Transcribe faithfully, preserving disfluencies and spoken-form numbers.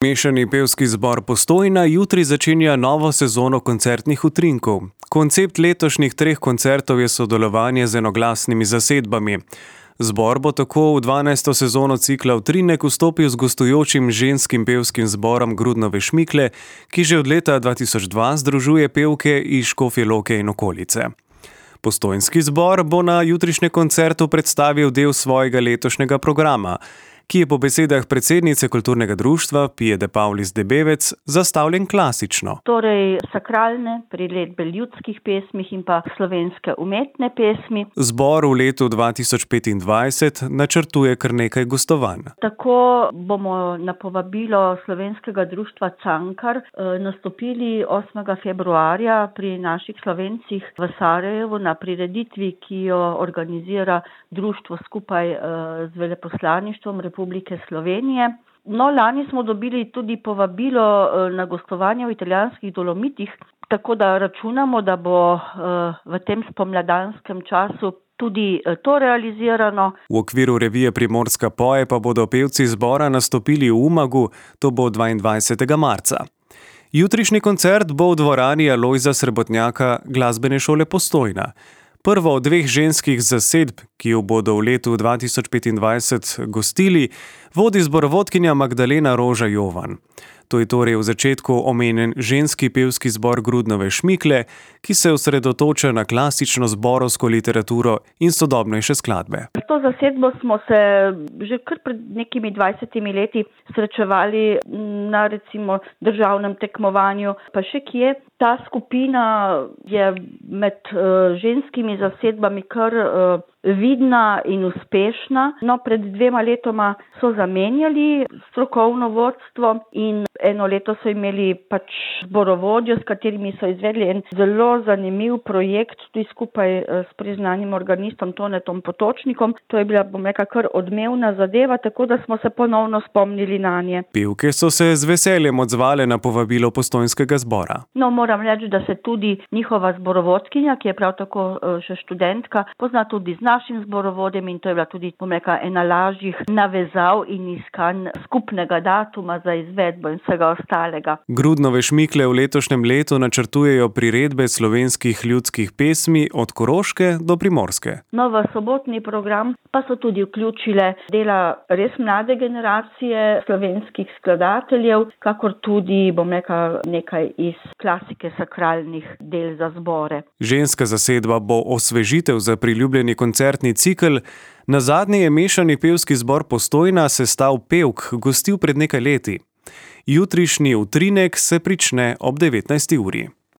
Mešani pevski zbor Postojna jutri začenja novo sezono koncertnih utrinkov. Koncept letošnjih treh koncertov je sodelovanje z enoglasnimi zasedbami. Zbor bo tako v dvanajsto sezono cikla Utrinek vstopil z gostujočim ženskim pevskim zborom Grudnove Šmikle, ki že od leta dva tisoč dva združuje pevke iz Škofje Loke in okolice. Postojnski zbor bo na jutrišnjem koncertu predstavil del svojega letošnjega programa, ki je po besedah predsednice kulturnega društva Pije de Paulis Debevec zastavljen klasično. Torej sakralne priredbe ljudskih pesmih in pa slovenske umetne pesmi. Zbor v letu dva tisoč petindvajset načrtuje kar nekaj gostovanj. Tako bomo na povabilo slovenskega društva Cankar nastopili osmega februarja pri naših Slovencih v Sarajevu na prireditvi, ki jo organizira društvo skupaj z veleposlaništvom Republike Slovenije. No, lani smo dobili tudi povabilo na gostovanje v italijanskih Dolomitih, tako da računamo, da bo v tem spomladanskem času tudi to realizirano. V okviru revije Primorska poje pa bodo pevci zbora nastopili v Umagu, to bo dvaindvajsetega marca. Jutrišnji koncert bo v dvorani Alojza Srebotnjaka glasbene šole Postojna. Prvo od dveh ženskih zasedb, ki jo bodo v letu dva tisoč petindvajset gostili, vodi zborovodkinja Magdalena Roža Jovan. To je torej v začetku omenjen ženski pevski zbor Grudnove Šmikle, ki se osredotoča na klasično zborovsko literaturo in sodobnejše skladbe. S to zasedbo smo se že kar pred nekimi dvajsetimi leti srečevali na recimo državnem tekmovanju, pa še kje. Ta skupina je med uh, ženskimi zasedbami kar uh, vidna in uspešna. No, pred dvema letoma so zamenjali strokovno vodstvo in eno leto so imeli pač zborovodjo, s katerimi so izvedli en zelo zanimiv projekt, tudi skupaj s priznanim organistom Tonetom Potočnikom. To je bila, bom rekla, kar odmevna zadeva, tako da smo se ponovno spomnili nanje. Pevke so se z veseljem odzvale na povabilo Postojnskega zbora. No, moram reči, da se tudi njihova zborovodkinja, ki je prav tako še študentka, pozna tudi z našim zborovodjem in to je bila tudi, bom rekla, ena lažjih navezav in iskanj skupnega datuma za izvedbo in vsega ostalega. Grudnove Šmikle v letošnjem letu načrtujejo priredbe slovenskih ljudskih pesmi od Koroške do Primorske. No, v sobotni program pa so tudi vključile dela res mlade generacije slovenskih skladateljev, kakor tudi, bom rekla, nekaj iz klasike sakralnih del za zbore. Ženska zasedba bo osvežitev za priljubljeni koncertni cikel. Nazadnje je mešani pevski zbor Postojna sestav pevk gostil pred nekaj leti. Jutrišnji utrinek se prične ob devetnajsti uri.